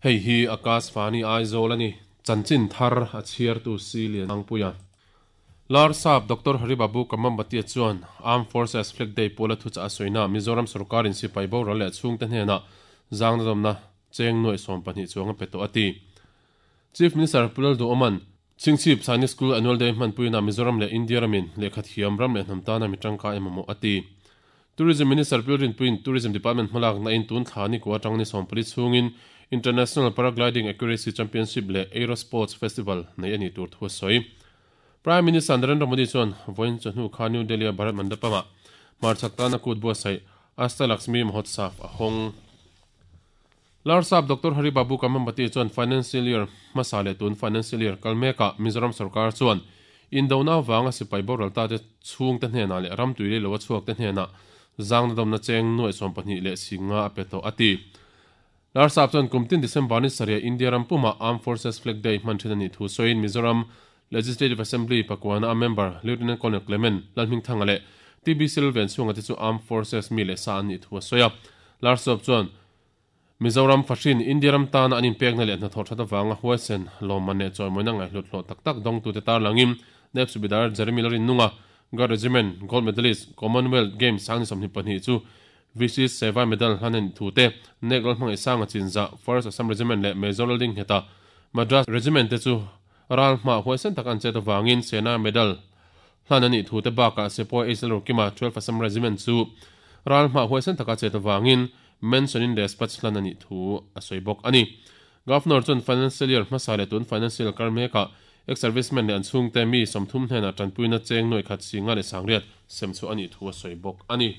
Hei hi Akashvani Aizawl a ni. Chanchin thar a chhiartu si Lianangpuia. Larsap Doctor Hari Babu Kamambati chuan Armed Forces Flag Day pawla thuchah a sawina Mizoram sorkarin sipai boral leh chhungte hnenah zangna dawmna cheng nuai 12 chuang a pe tawh a ti. Chief Minister Pu Lalduhoma'n Chhingchhip Sainik School Annual Day hmanpuina Mizoram leh India ramin lehkha thiam ram leh hnam tana mi tangkai emaw a ti. Tourism Minister Pu Rinpuiin Tourism Department hmalak na in tun thla ni ku atang ni 14 chhungin International Paragliding Accuracy Championship leh Aero Sports Festival nei ani tur thu a sawi. Prime Minister Narendra Modi chuan vawiin chawhnu kha New Delhi a Bharat Mandapam-ah hmarchhak tana kut buatsaih Asta Lakshmi Mahotsav a hawng. Larsap Doctor Hari Babu Kamambati chuan financial year hmasa leh tun financial year kal mekah Mizoram sarkar chuan indona wanga sipai boral ta te chhung te hnenah leh ram tui lei lo a chhuak te hnenah zangna dawmna cheng nuai 12 leh singa a pe tawh a ti. Larsap chuan kumtin December ni saria India ram puma Armed Forces Flag Day hman thin ani thu sawiin Mizoram Legislative Assembly pakwana a member Lieutenant Colonel Clement Lalhmingthanga leh TB Silven chhunga te chu Armed Forces mi leh sa an ni thu a sawi a. Larsap chuan Mizoram fashin India ram tana an inpekna leh hnathawh that awanga huaisen lawmman leh chawimawina ngai hlut hlawh tak tak dawng tu te tar langin Naib Subedar Jeremy Larin Nunga Guard Regiment Gold Medalist Commonwealth Games sang ni 22 chu VC Seva Medal hlanen thu te Nek Lal hmangaih sanga chinza First Assam Regiment leh Major Lalling heta Madras Regiment te chu ral hma huaisen tak an chet awangin Sena Medal hlan ani thu te bakah Sepoy H L Rokima 12 Assam Regiment chu ral hma huaisen taka chet awangin mention in dispatch hlan ani thu a sawi bawk ani. Governor chuan financial year hmasa leh tun financial kar mekah ex servicemen leh an chhungte mi 30 hnenah tanpuina cheng nuai khat singa leh sangriat sem chu ani thu a sawi bawk ani.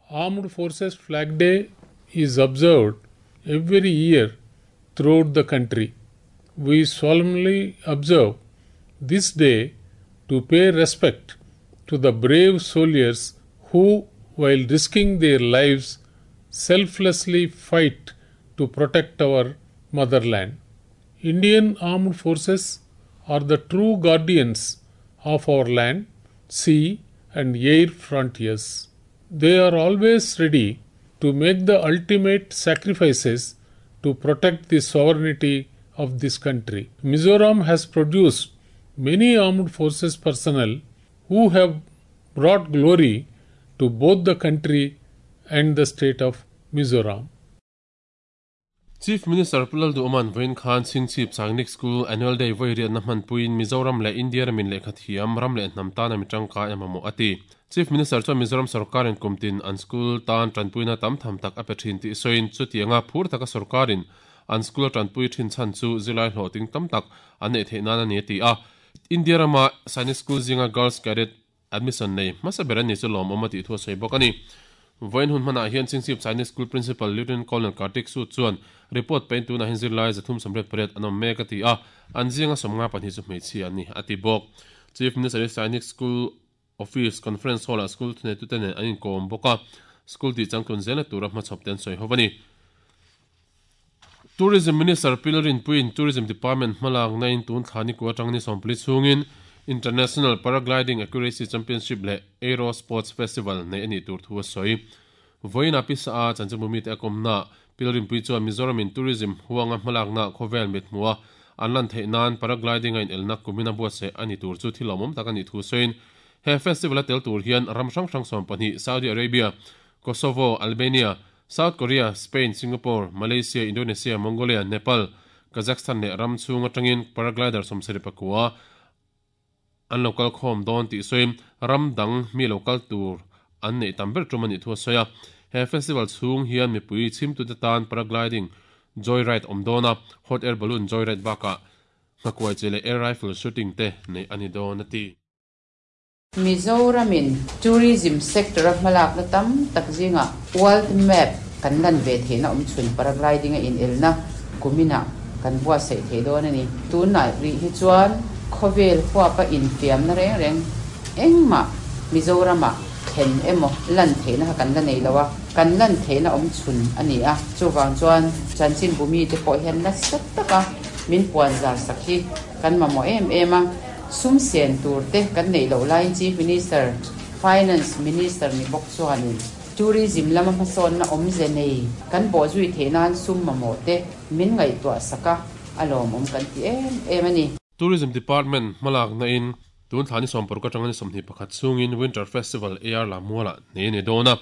Armed Forces Flag Day is observed every year throughout the country. We solemnly observe this day to pay respect to the brave soldiers who, while risking their lives, selflessly fight to protect our motherland. Indian Armed Forces are the true guardians of our land, sea, and air frontiers. They are always ready to make the ultimate sacrifices to protect the sovereignty of this country. Mizoram has produced many armed forces personnel who have brought glory to both the country and the state of Mizoram. Chief Minister Pu Lalduhoma'n vawiin khan Chhingchhip Sainik School Annual Day vawi riatna hmanpuiin Mizoram leh India ramin lehkha thiam ram leh hnam tana mi tangkai emaw a ti. Chief Minister chuan Mizoram sarkarin kumtin an school tan tanpuina tam tham tak a pe thin tih sawiin chutianga phur taka sarkarin an school tanpui thin chan chu zilai hlawh ting tam tak an nei theih nan ani a ti a. India rama Sainik School zinga Girls Cadet admission nei hmasa ber ani chu lawm awm a tih thu a sawi bawk ani. Vawiin hun hmanah hian Chhingchhip Sainik School Principal Lieutenant Colonel Kartik Sood chuan report pein tunah hian zirlai 388 an awm mek a ti a, an zinga 52 chu hmeichhia ani a ti bawk. Chief Minister Sainik School Office Conference Hall ah school thunei tute nen an inkawm bawk a, school tih changtlun zela tura hmachhawp te an sawi ho ani. Tourism Minister Pu Lalrinpuiin Tourism Department hmalak na in tun thla ni ku atang ni 14 chhungin International Paragliding Accuracy Championship leh Aero Sports Festival nei ani tur thu a sawi. Vawiin a pisa a chanchinbumi te a kawmna Pu Lalrinpui chuan Mizoram in tourism huanga hmalak na khawvel mit hmua an lan theih nan paragliding a in elna kumina buatsaih ani tur chu thil awmawm tak ani thu sawiin he festival a tel tur hian ram hrang hrang 12 Saudi Arabia, Kosovo, Albania, South Korea, Spain, Singapore, Malaysia, Indonesia, Mongolia, Nepal, Kazakhstan leh ram chhung atangin paraglider 74 an local khawm dawn tih sawiin ram dang mi local tur an nei tam ber tum ani thu a sawi a. He festival chhung hian mipui chhimtu te tan paragliding joyride awm dawn a, hot air balloon joyride bakah nghakuai che leh air rifle shooting te nei ani dawn a ti. Mizoramin tourism sector a hmalak na tam tak zinga world map kan lan ve theihna awm chhun paragliding a in elna kumina kan buatsaih thei dawn ani. Tunah ri hi chuan khawvel huapa infiam na reng reng engmah Mizorama thlen emaw lan theihna kha kan la nei lo a, kan lan theihna awm chhun ani a. Chuwang chuan chanchin bumi te pawh hian nasa taka min puan zar sak hi kan mamawh em em a. Sum sen tur te kan neih loh laiin Chief Minister, Finance Minister ni bawk chuanin Tourism lama hmasawnna awmze nei kan bawhzui theih nan sum mamawh te min ngaihtuah sak a, a lawmawm kan ti em em a ni. Tourism Department hmalakna in tun thla ni 60 atanga ni 21 chhungin Winter Festival AR Lammualah nei a ni dawn a.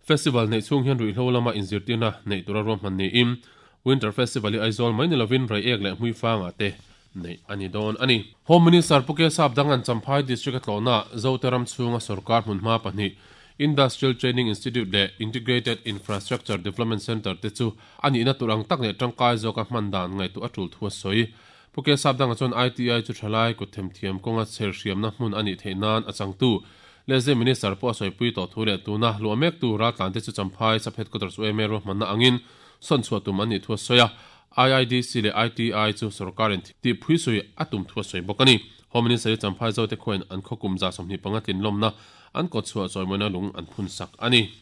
Festival neih chhung hian ruihhlo lama inzirtirna neih tura ruahman niin Winter Festival hi Aizawl mai ni lovin Reiek leh Hmuifangah te neih a ni dawn a ni. Home Minister Pu Kesap Dangan Champhai District a tlawhna Zote ram chhunga sorkar hmunhma pahnih Industrial Training Institute leh Integrated Infrastructure Development Centre te chu a nihna tur ang tak leh tangkai zawka hman dan ngaihtuah a tul thu a sawi. Pu Kesap Danga chuan ITI chu thalai kut themthiam kawnga chher hriamna hmun a nih theih nan a changtu Lehzeh Minister pawh a sawipui tawh thu leh tuna luah mektu raltlante chu Champhai Sub Headquarters UMA ruahmanna angin sawn chhuah tum an nih thu a sawi a, IIDC leh ITI chu sorkarin tih phuisui a tum thu a sawi bawk a ni. Home Minister hi Champhai Zote khuain an khaw kum 25 tlinlawmna an kawt chhuah chawimawina lung an phun sak a ni.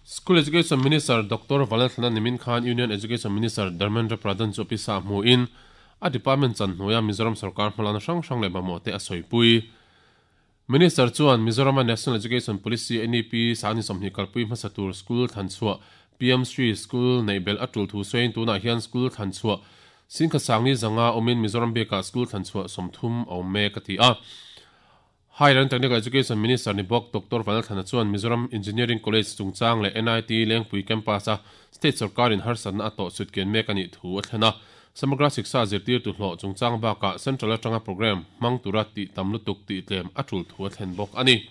School Education Minister Doctor Valalthlana nimin khan Union Education Minister Dharmendra Pradhan chu pisa hmuin a department chan hnuaia Mizoram sorkar hmalakna hrang hrang leh mamawh te a sawipui. Minister chuan Mizorama National Education Policy, NEP, sangni 20 kalpui hmasa tur school thlan chhuah PM Shri School neih belh a tul thu sawiin tunah hian school thlan chhuah singkhat sangni zanga awmin Mizoram bikah school thlan chhuah 30 a awm mek a ti a. Higher and Technical Education Minister ni bawk Doctor Vanlalthlana chuan Mizoram Engineering College chungchang leh NIT Lengpui Campus-a State sorkarin harsatna a tawh chhutkian mek a nih thu a thlen a. Samagra Shiksha zirtirtu hlawh chungchang bakah Central atanga programme hmang tura tih tam lutuk tih tlem a tul thu a thlen bawk a ni.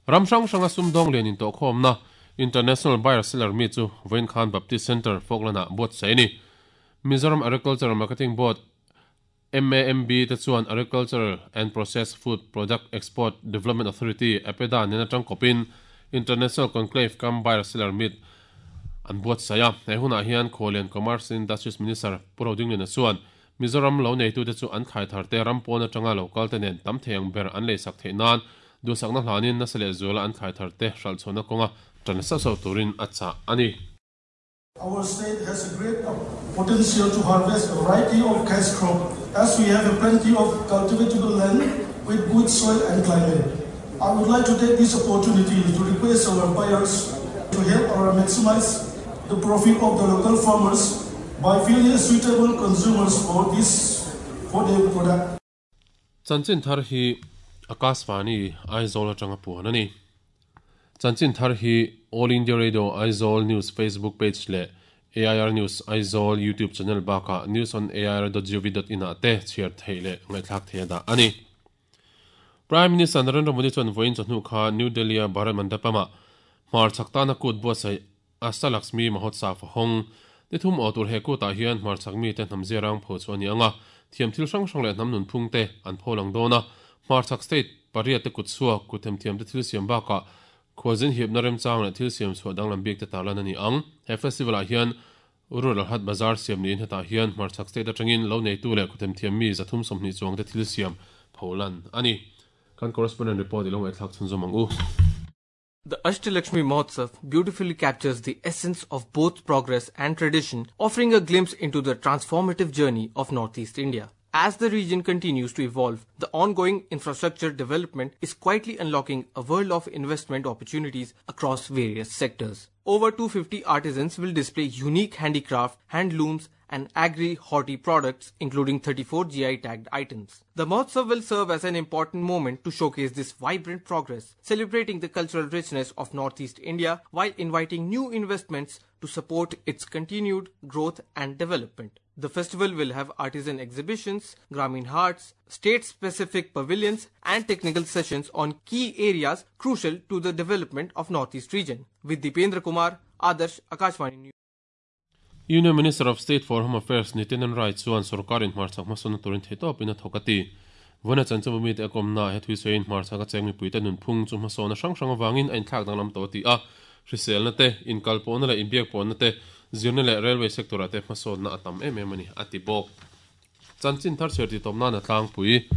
Ram hrang hranga sumdawng lian intawhkhawmna International Buyer Seller Meet chu vawiin khan Baptist Centre, Falkland-ah buatsaih a ni. Mizoram Agricultural Marketing Board, MAMB, te chuan Agricultural and Processed Food Product Export Development Authority, APEDA, nen atang kawpin International Conclave cum Buyer Seller Meet an buatsaih a. He hunah hian Khualian Commerce and Industries Minister Pu Rodingliana chuan Mizoram lo neitute chu an thlai tharte ram pawn atanga lo kalte nen tam thei ang ber an leisak theih nan duhsakna hlanin nasa leh zuala an thlai tharte hralhchhuahna kawnga tan sauh sauh turin a chah a ni. Our state has a great potential to harvest a variety of cash crop as we have a plenty of cultivatable land with good soil and climate. I would like to take this opportunity to request our buyers to help our maximize the profit of the local farmers by finding suitable consumers for this for their product. Chanchin thar hi Akashvani Aizawl atanga puan a ni. Chanchin thar hi All India Radio Aizawl News Facebook page leh AIR News Aizawl YouTube channel bakah newsonair.gov.in ah te chhiar theih leh ngaihthlak theih a dah a ni. Prime Minister Narendra Modi chuan vawiin chawhnu kha New Delhi-a Bharat Mandapam-ah hmarchhak tana kut buatsaih Ashtalakshmi Mahotsav a hawng. Ni thum aw tur he kutah hian hmarchhak mite hnam ziarang pho chu a ni ang a, thiam thil hrang hrang leh hnam nunphung te an pho lang dawn a. Hmarchhak state pariat te kut chhuak, kut themthiam te thil siam bakah khualzin hipna remchang leh thil siam chhuah danglam bik te tarlan a ni ang. He festival ah hian Rural Hat Bazar siam niin hetah hian hmarchhak state atangin lo neitu leh khuthemthiam mi 320 chuang te thil siam pholan a ni. Kan correspondent report i lo ngaihthlak chhunzawm ang u. The Ashtalakshmi Mahotsav beautifully captures the essence of both progress and tradition, offering a glimpse into the transformative journey of Northeast India. As the region continues to evolve, the ongoing infrastructure development is quietly unlocking a world of investment opportunities across various sectors. Over 250 artisans will display unique handicraft, handlooms, and agri-horti products, including 34 GI-tagged items. The Mahotsav will serve as an important moment to showcase this vibrant progress, celebrating the cultural richness of Northeast India while inviting new investments to support its continued growth and development. The festival will have artisan exhibitions, Gramin Haats, state-specific pavilions and technical sessions on key areas crucial to the development of Northeast region. With Dipendra Kumar, Adarsh, Akashvani News. Union Minister of State for Home Affairs Nityanand Rai chuan sorkarin hmarchhak hmasawnna turin theihtawpin a thawk a ti. Vawiina chanchinbu mite a kawmna he thui sawiin hmarchhak a cheng mipuite nunphung chu hmasawnna hrang hrang avangin a inthlak danglam tawh a ti a. Hriselna te, inkalpawhna leh inbiakpawhna te, zirna leh railway sector ah te hmasawnna a tam em em a ni, a ti bawk. Chanchin thar chhiar tih tawp nan a tlangpui.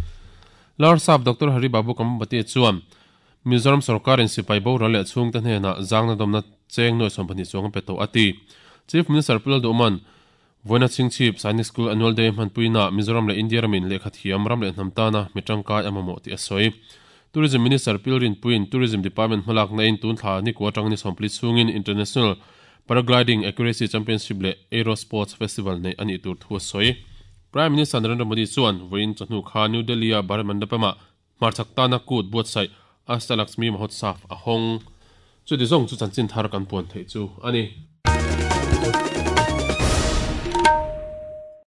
Larsap Doctor Hari Babu Kambhampati chuan Mizoram sorkarin sipai boral leh chhungte hnenah zangna dawmna cheng nuai 12 chuang a pe tawh a ti. Chief Minister Pu Lalduhman, Vawiina Chhingchhip Sainik School Annual Day hmanpuinaah Mizoram leh India ramin lehkha thiam ram leh hnam tana mi tangkai a mamawh tih a sawi. Tourism Minister Pil Rinpuiin Tourism Department hmalakna in tun thla ni kua atang ni sawmpli chhungin International Paragliding Accuracy Championship leh Aero Sports Festival neih a nih tur thu a sawi. Prime Minister Narendra Modi chuan vawiin chawhnu kha New Delhi-a Bharat Mandapam-ah hmarchhak tana kut buatsaih Ashta Lakshmi Mahotsav a hawng. Chuti zawng chu chanchin thar kan puan theih chu a ni.